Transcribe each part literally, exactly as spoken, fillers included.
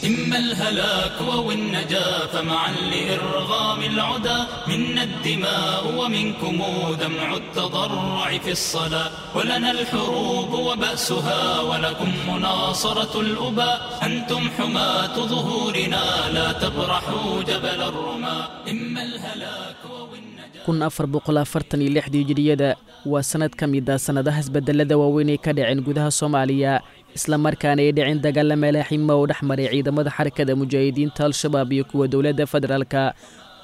إما الهلاك أو النجاة فمعا لإرغام العدا منا الدماء ومنكم دمع التضرع في الصلاة ولنا الحروب وبأسها ولكم مناصرة الأباء أنتم حماة ظهورنا لا تبرحوا جبل الرماة إما الهلاك أو النجاة. Kun afar boqol afartan iyo lixdii hijiriyada waa sanad ka mid ah sannadaha isbedelada waaweyn ee ka dhaceen gudaha Soomaaliya, islamarkaana ay dhaceen dagaalla malaaxima oo dhex maray ciidamada Xarakada Mujaahidiinta Al-Shabaab iyo kuwa dowladda federaalka,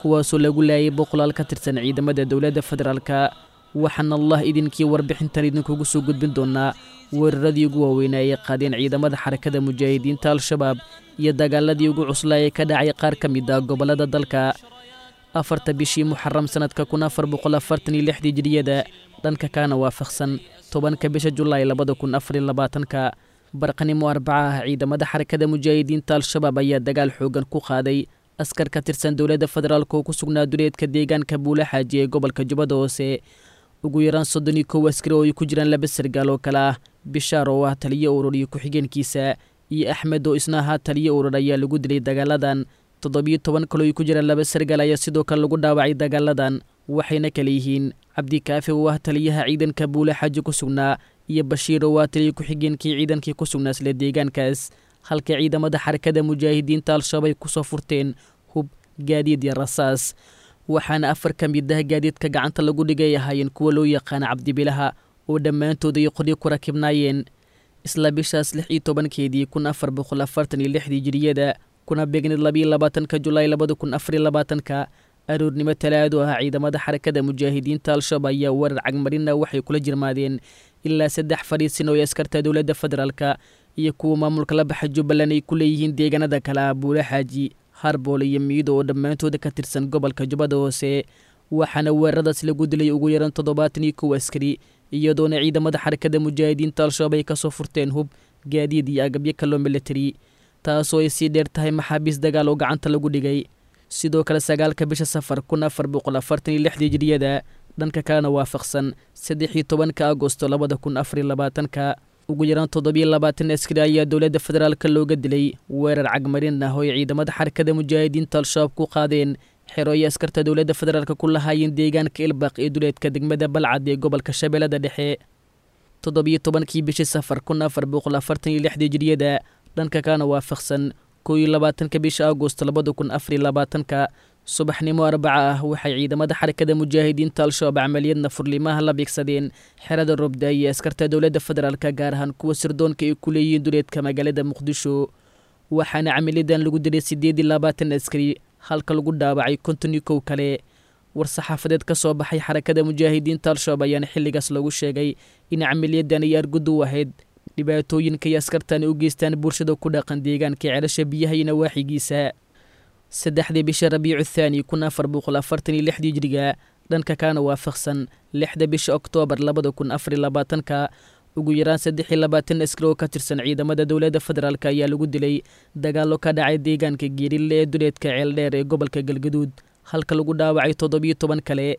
kuwaasoo lagu laayay boqolaal ka tirsan ciidamada dowladda federaalka. Waxaana Allah idinkii warbixintan idinkugu soo gudbin doonaa weeraradii ugu waaweynaa ay qaadeen ciidamada Xarakada Mujaahidiinta Al-Shabaab iyo dagaaladii ugu cuslaa ee ka dhacay qaar ka mid ah gobollada dalka. Afarta bishii Muxaram sanadka kun afar boqol afartan iyo lixdii hijiriyada, dhanka kaana waafaqsan tobanka bisha Julaay labada kun afar iyo labaatanka, barqanimo Arbaca ah, ciidamada Xarakada Mujaahidiinta Al-Shabaab ayaa dagaal xoogan ku qaaday askar ka tirsan dowladda federaalk oo ku sugnaa duleedka deegaanka Buula Xaaji ee gobolka Jubbada Hoose. Ugu yaraan soddon iyo kow askari oo ay ku jiraan laba sargaal oo kale ah Bishaar oo ah taliyo urur iyo ku-xigeenkiisa iyo Axmed oo isna ahaa taliyo urur ayaa lagu dilay dagaaladan. Toddobiyo toban kaloo ay ku jiraan laba sargaal ayaa sidoo kale lagu dhaawacay dagaaladan, waxayna kale yihiin Cabdikaafi oo ah taliyaha ciidanka Buula Xaaji ku sugnaa iyo Bashiir oo ah taliyo ku-xigeenkii ciidankii ku sugnaa isla deegaankaas, halka ciidamada Xarakada Mujaahidiinta Al-Shabaab ay kusoo furteen hub, gaadiid iyo rasaas. Waxaana afar ka mid ah gaadiidka gacanta lagu dhigay ahaayeen kuwa loo yaqaana cabdibilaha oo dhammaantood ay qoryo ku rakibnaayeen. Isla bishaas lix iyo tobankeedii kun afar boqol afartan iyo lixdii hijiriyada, kuna beegneed labiyo labaatanka Julaay labada kun afar iyo labaatanka, aroornimo Talaado ah, ciidamada Xarakada Mujaahidiinta Al-Shabaab ayaa weerar cagmarina waxay kula jirmaadeen ilaa saddex fadhiisin oo ay askarta dowladda federaalka iyo kuwa maamulka la baxa Jubbaland ay ku leeyihiin deegaanada kale ah Buula Xaaji, Harbool iyo Miido oo dhammaantooda ka tirsan gobolka Jubbada Hoose. Waxaana weeraradaas lagu dilay ugu yaraan toddobaatan iyo kow askari, iyadoona ciidamada Xarakada Mujaahidiinta Al-Shabaab ay kasoo furteen hub, gaadiid iyo agabyo kaloo military, taasoo ay sii dheer tahay maxaabiis dagaal oo gacanta lagu dhigay. Sidoo kale sagaalka bisha Safar kun afar boqol afartan iyo lixdii hijiriyada, dhanka kalena waafaqsan saddex iyo tobanka Agosto labada kun afar iyo labaatanka, ugu yaraan toddobiyo labaatan askari ayaa dowladda federaalka looga dilay weerar cagmarin ah oo ay ciidamada Xarakada Mujaahidiinta Al-Shabaab ku qaadeen xero ay askarta dowladda federaalka ku lahaayeen deegaanka Ilbaq ee duleedka degmada Balcad ee gobolka Shabeellada Dhexe. Toddobiyo tobankii bishii Safar kun afar boqol afartan iyo lixdii hijiriyada, dhanka kalena waafaqsan kow iyo labaatanka bisha Agosto labada kun afar iyo labaatanka, subaxnimo Arbaca ah, waxay ciidamada Xarakada Mujaahidiinta Al-Shabaab camaliyadna furlimaha la beegsadeen xerada Robda iyo askarta dowladda federaalka, gaar ahaan kuwa sirdoonka ay ku leeyihiin duleedka magaalada Muqdisho. Waxaana camaliyadan lagu dilay sideed iyo labaatan askari, halka lagu dhaawacay konton iyo kow kale. War-saxaafadeed ka soo baxay Xarakada Mujaahidiinta Al-Shabaab ayaana xilligaas lagu sheegay in camaliyadan ay argud u ahayd dhibaatooyinka ay askartani u geystaan bulshada ku dhaqan deegaanka Ceelasha Biyaha iyo nawaaxigiisa. Saddexdii bisha Rabiicu Thaani kun afar boqol afartan iyo lixdii hijriga, dhanka kaana waafaqsan lixda bisha Oktoobar labada kun afar iyo labaatanka, ugu yaraan saddex iyo labaatan askari oo ka tirsan ciidamada dowladda federaalk ayaa lagu dilay dagaallo ka dhacay deegaanka Geerille ee duleedka Ceeldheer ee gobolka Galgaduud, halka lagu dhaawacay toddobiyo toban kale.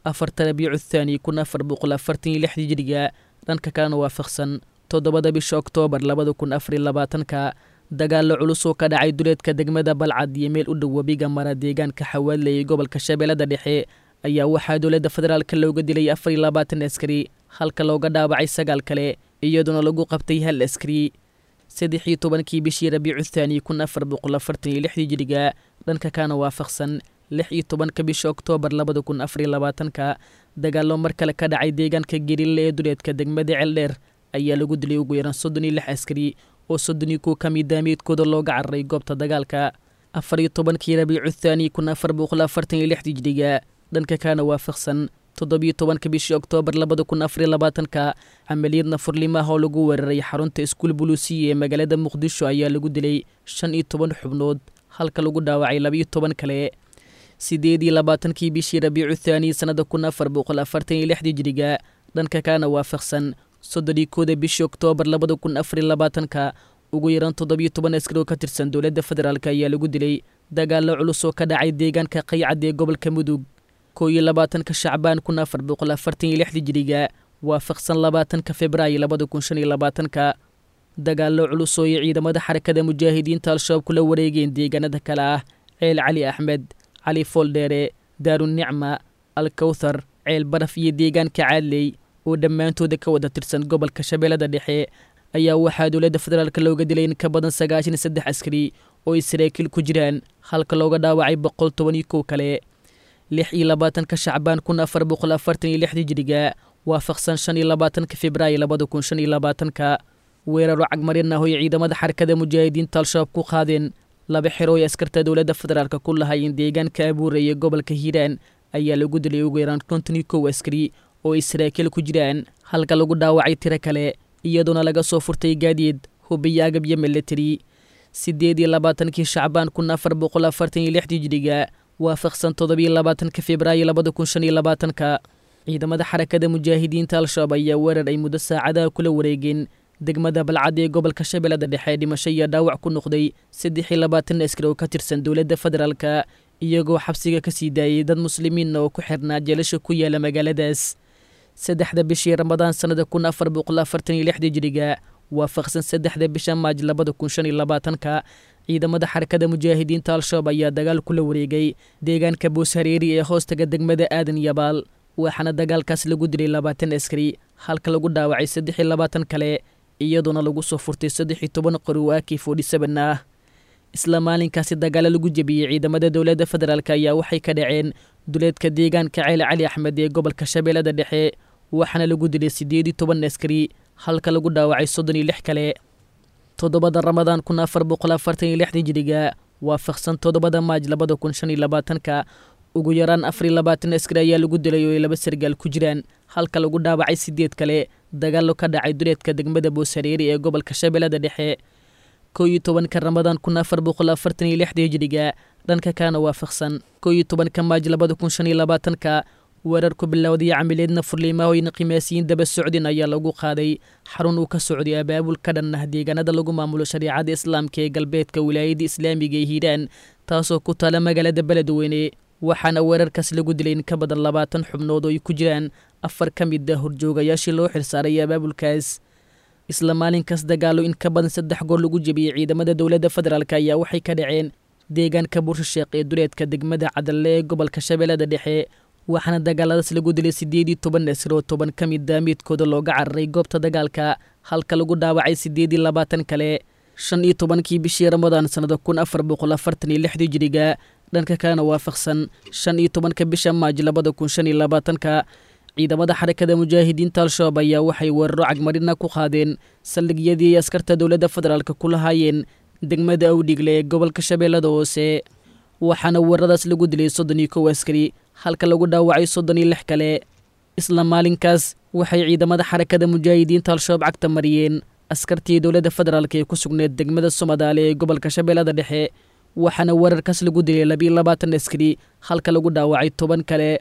Afarta Rabiicu Thaani kun afar boqol afartan iyo lixdii hijriga, dhanka kalena waafaqsan toddobada bisha Oktoobar labada kun afar iyo labaatanka, dagaallo culus oo ka dhacay duleedka degmada Balcad iyo meel u dhow webiga mara deegaanka Xawaadle ee gobolka Shabeellada Dhexe ayaa waxaa dowladda federaalka looga dilay afar iyo labaatan askari, halka looga dhaawacay sagaal kale, iyadoona lagu qabtay hal askari. Saddex iyo tobankii bishii Rabiicu Thaani kun afar boqol afartan iyo lixdii hijriga, dhanka kaana waafaqsan lix iyo tobanka bisha Oktoobar labada kun afar iyo labaatanka, dagaallo mar kale ka dhacay deegaanka Geerille ee duleedka degmada Ceeldheer ayaa lagu dilay ugu yaraan soddon iyo lix askari oo soddon iyo kow ka mid ah meydkooda looga cararay goobta dagaalka. Afar iyo tobankii Rabiicu Thaani kun afar boqol afartan iyo lixdii hijriga, dhanka kaana waafaqsan toddobiyo tobanka bishii Oktoobar labada kun afar iyo labaatanka, camaliyadna furlimaha oo lagu weeraray xarunta iskuul buluusiya ee magaalada Muqdisho ayaa lagu dilay shan iyo toban xubnood, halka lagu dhaawacay labiyo toban kale. Sideed iyo labaatankii bishii Rabiicu Thaani sanada kun afar boqol afartan iyo lixdii hijriga, dhanka kaana waafaqsan soddon iyo kowda bishii Oktoobar labada kun afar iyo labaatanka, ugu yaraan toddobiyo toban askari oo ka tirsan dowladda federaalk ayaa lagu dilay dagaallo culus oo ka dhacay deegaanka Qaycad ee gobolka Mudug. Kow iyo labaatanka Shacbaan kun afar boqol afartan iyo lixdii hijriga, waafaqsan labaatanka Februaayo labada kun shan iyo labaatanka. Dagaallo culus oo ay ciidamada Xarakada Mujaahidiinta Al-Shabaab kula wareegeen deegaanada kale ah Ceel Cali Axmed, Cali Fooldheere, Daarunicma, Alkawthar, Ceel Baraf iyo deegaanka Caadley oo dhammaantooda ka wada tirsan gobolka Shabeellada Dhexe ayaa waxaa dowladda federaalk looga dilay in ka badan sagaashan iyo saddex askari oo ay saraakiil ku jiraan, halka looga dhaawacay boqol toban iyo kow kale. Lix iyo labaatanka Shacbaan kun afar boqol afartan iyo lixdii Hijriga, waafaqsan shan iyo labaatanka Februaayo labada kun shan iyo labaatanka, weeraro cagmarin ah oo ay ciidamada Xarakada Mujaahidiinta Al-Shabaab ku qaadeen laba xero ay askarta dowladda federaalk ku lahaayeen deegaanka Abuure iyo gobolka Hiiraan ayaa lagu dilay ugu yaraan konton iyo kow askari oo ay saraakiil ku jiraan, halka lagu dhaawacay tiro kale, iyadoona laga soo furtay gaadiid, hub iyo agabyo militari. Sideed iyo labaatankii Shacbaan kun afar boqol afartan iyo lixdii Hijriga, waafaqsan toddobiyo labaatanka Februaayo labada kun shan iyo labaatanka, ciidamada Xarakada Mujaahidiinta Al-Shabaab ayaa weerar ay muddo saacadaha kula wareegeen degmada Balcad ee gobolka Shabeellada Dhexe dhimasho iyo dhaawac ku noqday saddex iyo labaatan askari oo ka tirsan dowladda federaalka, iyagoo xabsiga ka sii daayay dad muslimiinna oo ku xirnaa jeelasha ku yaala magaaladaas. Saddexda bishii Ramadaan sannada kun afar boqol afartan iyo lixdii Hijriga, waafaqsan saddexda bisha Maaj labada kun shan iyo labaatanka, ciidamada Xarakada Mujaahidiinta Al-Shabaab ayaa dagaal kula wareegay deegaanka Booshareeri ee hoostaga degmada Aadan Yabaal, waxaana dagaalkaas lagu dilay labaatan askari, halka lagu dhaawacay saddex iyo labaatan kale, iyadoona lagu soo furtay saddex iyo toban qori oo A K forty seven ah. Isla maalinkaasi dagaalo lagu jebiyey ciidamada dowladda federaalk ayaa waxay ka dhaceen duleedka deegaanka Ceel Cali Axmed ee gobolka Shabeellada Dhexe, waxaana lagu dilay sideed iyo toban askari, halka lagu dhaawacay soddon iyo lix kale. Toddobada Ramadaan kun afar boqol afartan iyo lixdii Hijriga, waafaqsan toddobada Maaj labada kun shan iyo labaatanka, ugu yaraan afar iyo labaatan askari ayaa lagu dilay oo ay laba sargaal ku jiraan, halka lagu dhaawacay sideed kale dagaallo ka dhacay duleedka degmada Booshareeri ee gobolka Shabeellada Dhexe. Kow iyo tobanka Ramadaan kun afar boqol afartan iyo lixdii Hijriga, dhanka kalena waafaqsan kow iyo tobanka Maaj labada kun shan iyo labaatanka, weerar ku bilowday camileedna furliimahooyin qiimaasiyiin daba socdin ayaa lagu qaaday xarun uu ka socday abaabul ka dhan ah deegaanada lagu maamulo shariicada islaamka ee galbeedka wilaayada islaamiga ee Hiiraan, taasoo ku taala magaalada Beledweyne, waxaana weerarkaas lagu dilay in ka badan labaatan xubnood oo ay ku jiraan afar ka mid ah horjoogayaashii loo xilsaaray abaabulkaas. Isla maalinkaas dagaallo in ka badan saddex goor lagu jebiyey ciidamada dowladda federaalk ayaa waxay ka dhaceen deegaanka Buursha Sheekh ee duleedka degmada Cadalle ee gobolka Shabeellada Dhexe, waxaana dagaaladaas lagu dilay sideed iyo toban askari oo toban ka mid ah midkooda looga cararay goobta dagaalka, halka lagu dhaawacay sideed iyo labaatan kale. Shan iyo tobankii bishii Ramadaan sannada kun afar boqol afartan iyo lixdii Hijriga, dhanka kalena waafaqsan shan iyo tobanka bisha Maaj labada kun shan iyo labaatanka, ciidamada Xarakada Mujaahidiinta Al-Shabaab ayaa waxay weeraro cagmarina ku qaadeen saldhigyadii ay askarta dowladda federaalk ku lahaayeen degmada Awdhigle ee gobolka Shabeellada Hoose, waxaana weeraradaas lagu dilay soddon iyo kow askari, halka lagu dhaawacay soddon iyo lix kale. Isla maalinkaas waxay ciidamada Xarakada Mujaahidiinta Al-Shabaab cagta mariyeen askartii dowladda federaalk ee ku sugneed degmada Somadaale ee gobolka Shabeellada Dhexe, waxaana weerarkaas lagu dilay laba iyo labaatan askari, halka lagu dhaawacay toban kale.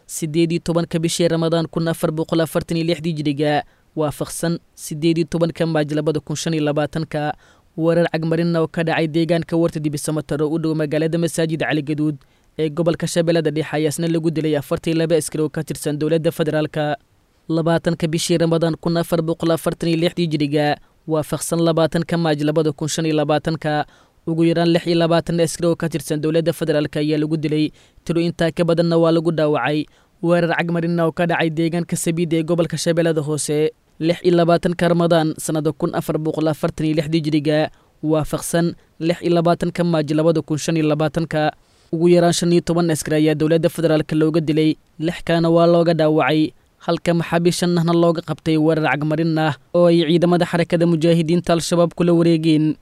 Sideed iyo tobanka bishii Ramadaan kun afar boqol afartan iyo lixdii Hijriga, waafaqsan sideed iyo tobanka Maaj labada kun shan iyo labaatanka, weerar cagmarinna oo ka dhacay deegaanka Warta Dibisamataro u dhow magaalada Masaajid Cali Gaduud ee gobolka Shabeellada Dhexe ayaa isna lagu dilay afartan iyo laba askari oo ka tirsan dowladda federaalka. Labaatanka bishii Ramadaan kun afar boqol afartan iyo lixdii Hijriga, waafaqsan labaatanka Maaj labada kun shan iyo labaatanka, ugu yaraan lix iyo labaatan askari oo ka tirsan dowladda federaalk ayaa lagu dilay, tiro intaa ka badanna waa lagu dhaawacay weerar cagmarinna oo ka dhacay deegaanka Sabiid ee gobolka Shabeellada Hoose. Lix iyo labaatanka Ramadaan sannada kun afar boqol afartan iyo lixdii Hijriga, waafaqsan lix iyo labaatanka Maaj labada kun shan iyo labaatanka, ugu yaraan shan iyo toban askari ayaa dowladda federaalk looga dilay, lix kalena waa looga dhaawacay, halka maxaabiis shan ahna looga qabtay weerar cagmarin ah oo ay ciidamada Xarakada Mujaahidiinta Al-Shabaab kula wareegeen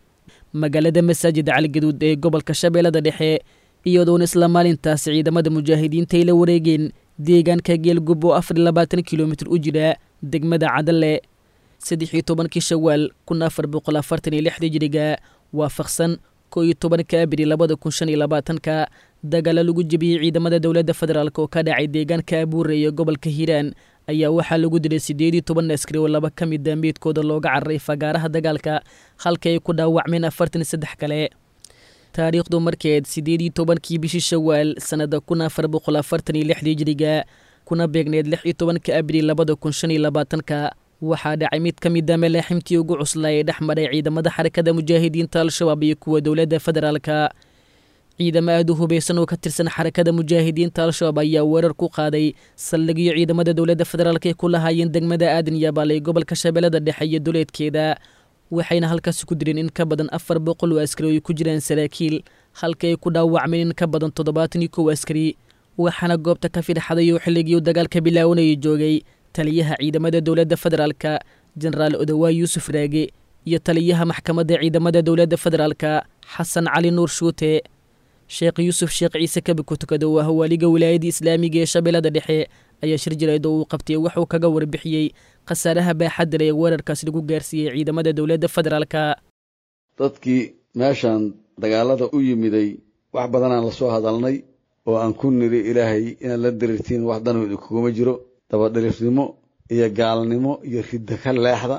magaalada Masaajid Cali Gaduud ee gobolka Shabeellada Dhexe, iyadoona isla maalintaas ciidamada mujaahidiinta ay la wareegeen deegaanka Geelgub oo afar iyo labaatan kilomitir u jira degmada Cadalle. Saddex iyo tobankii Shawaal kun afar boqol afartan iyo lixdii Hijriga, waafaqsan kow iyo tobanka Abriil labada kun shan iyo labaatanka, dagaalo lagu jebiyey ciidamada dowladda federaalk oo ka dhacay deegaanka Abuure iyo gobolka Hiiraan ayaa waxaa lagu dilay sideed iyo toban askari oo laba ka mid ah meydkooda looga cararay fagaaraha dagaalka, halka ay ku dhaawacmeen afartan iyo saddex kale. Taariikhdu markeed sideed iyo tobankii bishii Shawaal sannada kun afar boqol afartan iyo lixdii Hijriga, kuna beegneed lix iyo tobanka Abriil labada kun shan iyo labaatanka, Waxaa dhacay mid ka mid a malaaximtii ugu cuslaa ee dhex maray ciidamada xarakada mujaahidiinta Al-Shabaab iyo kuwa dowladda federaalka. Ciidamo aad u hubeysan oo ka tirsan xarakada mujaahidiinta Al-Shabaab ayaa weerar ku qaaday saldhigyo ciidamada dowladda federaalka ay ku lahaayeen degmada Aadan Yabaal ee gobolka Shabeellada Dhexe iyo duleedkeeda, waxayna halkaasi ku dileen in ka badan afar boqol oo askari oo ay ku jiraan saraakiil, halka ay ku dhaawacmeen in ka badan toddobaatan iyo kow askari. Waxaana goobta ka fidxaday oo xilligii dagaalka bilaawanayay joogay taliyaha ciidamada dowladda federaalka Jenaraal Odawaa Yuusuf Raage iyo taliyaha maxkamadda ciidamada dowladda federaalka Xasan Cali Nuur Shuute. Sheekh Yuusuf Sheekh Ciise Kabi Kutukado oo ah waaliga wilaayadda islaamiga ee Shabeellada Dhexe ayaa shir jireed oo uu qabtay wuxuu kaga warbixiyey khasaaraha baaxadda leh ee weerarkaas lagu gaarsiiyey ciidamada dowladda federaalka. Dadkii meeshan dagaalada u yimiday wax badanaan la soo hadalnay oo aan ku niri Ilaahay inaad la dirirtiin wax danu idinkuguma jiro, dabadhilifnimo iyo gaalnimo iyo ridda ka leexda.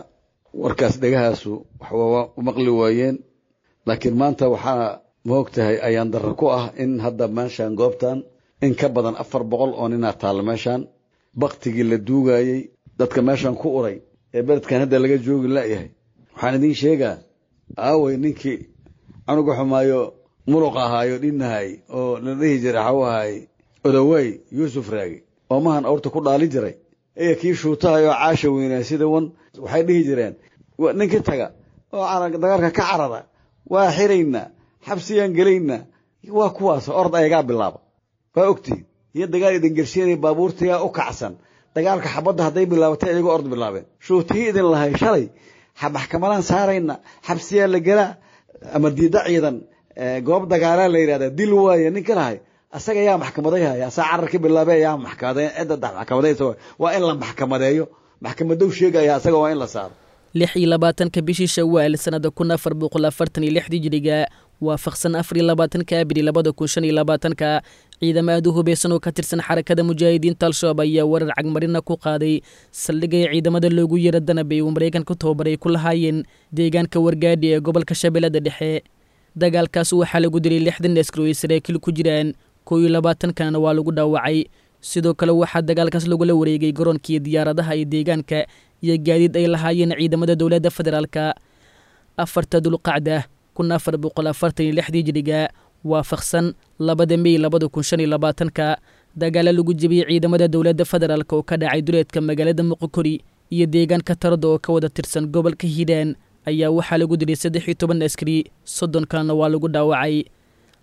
Warkaas dhegahaasu wax waa u maqli waayeen, laakiin maanta waxaa ma og tahay ayaan darro ku ah in hadda meeshaan goobtan in ka badan afar boqol oo ninaa taalla meeshaan. Baktigii la duugayey dadka meeshaan ku uray ee beledkan hadda laga joogi la'yahay. Waxaan idiin sheegaa aaway ninkii canuga xumaayo muruq ahaayo dhinnahay oo la dhihi jiray waxau ahaay Odawey Yuusuf Raage oo mahan awrta ku dhaalin jiray iyo kii shuutahayoo caasha weynaa sida wan waxay dhihi jireen ninkii taga oo dagaalka ka carara waa xiraynaa, xabsiyaan gelaynaa. Waa kuwaas orod ayagaa bilaaba, waa ogtihiin iyo dagaal idin gersiinaya baabuurtayaa u kacsan dagaalka xabadda hadday bilaabatay ayagoo orod bilaabeen. Shuutihii idin lahay shalay maxkamadaan saarayna, xabsiyaa la gelaa ama diida ciidan goob dagaalaa la yidhahdaa dil waaye ninka lahay asaga yaa maxkamaday haya, asaa carar ka bilaabay yaa maxkamaday cidda maxkamadaysa waa in la maxkamadeeyo, maxkamadow sheegaya asaga waa in la saaro. Lix iyo labaatanka bishii Shawaal sanada kun afar boqol afartan iyo lixdii hijriga waafaqsan afar iyo labaatanka Abril labada kun shan iyo labaatanka ciidamo aad u hubeysan oo ka tirsan xarakada mujaahidiinta Al-Shabaab ayaa weerar cagmarina ku qaaday saldhigay ciidamada loogu yeero Danabey uu Mareykanka tababaray ku lahaayeen deegaanka Wargaadhi ee gobolka Shabeellada Dhexe. Dagaalkaas waxaa lagu dilay lixdan askari oo ay saraakiil ku jiraan, kow iyo labaatankanna waa lagu dhaawacay. Sidoo kale waxaa dagaalkaas lagula wareegay garoonkii diyaaradaha ee deegaanka iyo gaadiid ay lahaayeen ciidamada dowladda federaalka. Afarta Dulqacda kun afar boqol afartan iyo lixdii hijriga waafaqsan labada Mey labada kun shan iyo labaatanka dagaala lagu jebiyey ciidamada dowladda federaalka oo ka dhacay duleedka magaalada Muqokori iyo deegaanka Tardo oo ka wada tirsan gobolka Hiiraan ayaa waxaa lagu dilay saddex iyo toban askari, soddon kalena waa lagu dhaawacay.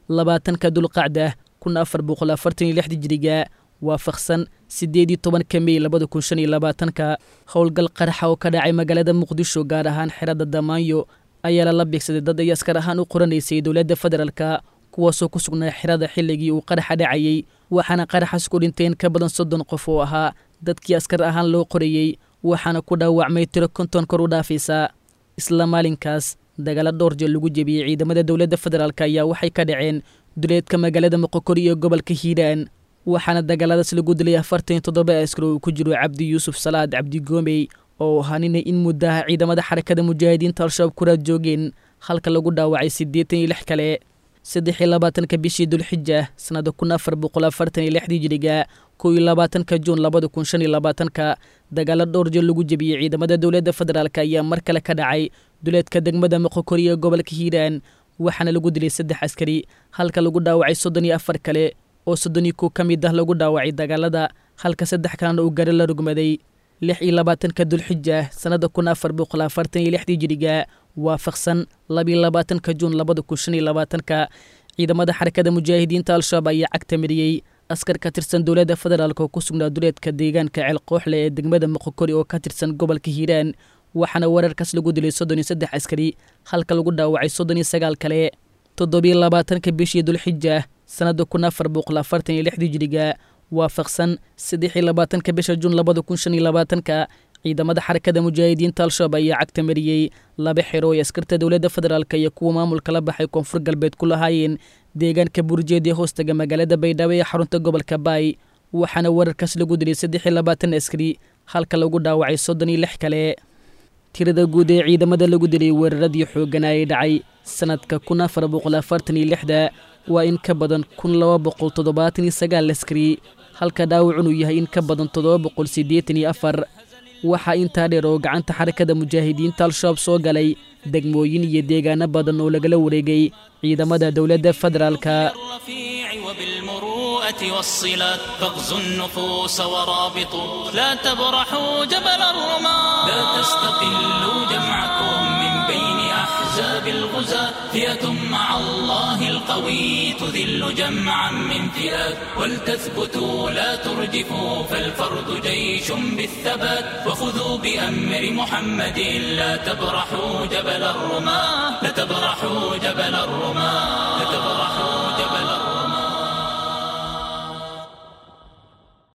Labaatanka Dulqacda kun afar boqol afartan iyo lixdii hijriga waafaqsan sideed iyo tobanka Mey labada kun shan iyo labaatanka howlgal qaraxa oo ka dhacay magaalada Muqdisho gaar ahaan xerada Damaanyo ayaa lala beegsaday dad ay askar ahaan u qoranaysay dowladda federaalka, kuwaasoo ku sugnaa xerada xilligii uu qaraxa dhacayey. Waxaana qaraxaas ku dhinteen ka badan soddon qof oo ahaa dadkii askar ahaan loo qorayey, waxaana ku dhaawacmay tiro konton kor u dhaafaysa. Isla maalinkaas dagaalo dhowr jeer lagu jebiyey ciidamada dowladda federaalka ayaa waxay ka dhaceen duleedka magaalada Moqokori iyo gobolka Hiiraan, waxaana dagaaladaas lagu dilay afartan iyo toddoba askari oo uu ku jiro Cabdi Yuusuf Salaad Cabdi Goomey oo ahaa nina in muddaha ciidamada xarakada mujaahidiinta Al-Shabaab ku raad joogeen, halka lagu dhaawacay siddeetan iyo lix kale. Saddex iyo labaatanka bishii Dulxija sanada kun afar boqol afartan iyo lixdii hijriga kow iyo labaatanka Juun labada kun shan iyo labaatanka dagaalo dhowr jeer lagu jebiyey ciidamada dowladda federaalka ayaa mar kale ka dhacay duleedka degmada Moqokori ee gobolka Hiiraan, waxaana lagu dilay saddex askari halka lagu dhaawacay soddon iyo afar kale oo soddon iyo kow ka mid ah lagu dhaawacay dagaalada, halka saddex kalena uu gari la rugmaday. Lix iyo labaatanka Dulxija sanada kun afar boqol afartan iyo lixdii hijriga waafaqsan labiyo labaatanka Juun labada kun shan iyo labaatanka ciidamada xarakada mujaahidiinta Al-Shabaab ayaa cagta mariyey askar ka tirsan dowladda federaalka oo ku sugnaa duleedka deegaanka Ceelqooxle ee degmada Moqokori oo ka tirsan gobolka Hiiraan, waxaana weerarkaas lagu dilay soddon iyo saddex askari halka lagu dhaawacay soddon iyo sagaal kale. Toddobiyo labaatanka bishii Dulxija sanada kun afar boqol afartan iyo lixdii hijriga waafaqsan saddex iyo labaatanka bisha Juun labada kun shan iyo labaatanka ciidamada xarakada mujaahidiinta Al-Shabaab ayaa cagta mariyey laba xero oo askarta dowladda federaalka iyo kuwa maamulka la baxay Koonfur Galbeed ku lahaayeen deegaanka Burjeed ee hoostaga magaalada Baydhabo ee xarunta gobolka Baay, waxaana weerarkaas lagu dilay saddex iyo labaatan askari halka lagu dhaawacay soddon iyo lix kale. Tirada guud ee ciidamada lagu dilay weeraradii xooggan ay dhacay sanadka kun afar boqol afartan iyo lixda waa in ka badan kun laba boqol toddobaatan iyo sagaal askari, halka dhaawacun uu yahay in ka badan toddoba boqol siddeetan iyo afar. Waxaa intaa dheer oo gacanta xarakada mujaahidiinta Al-Shabaab soo galay degmooyin iyo deegaano badan oo lagala wareegay ciidamada dowladda federaalka. الرفيع وبالمروءة والصلات فاغزوا النفوس ورابطوا لا تبرحوا جبل الرماة لا تستقلوا جمعكم من بين أحزاب الغزاة فئة مع الله القوي تذل جمعا من فئات ولتثبتوا لا ترجفوا فالفرد جيش بالثبات وخذوا بأمر محمد لا تبرحوا جبل الرماة لا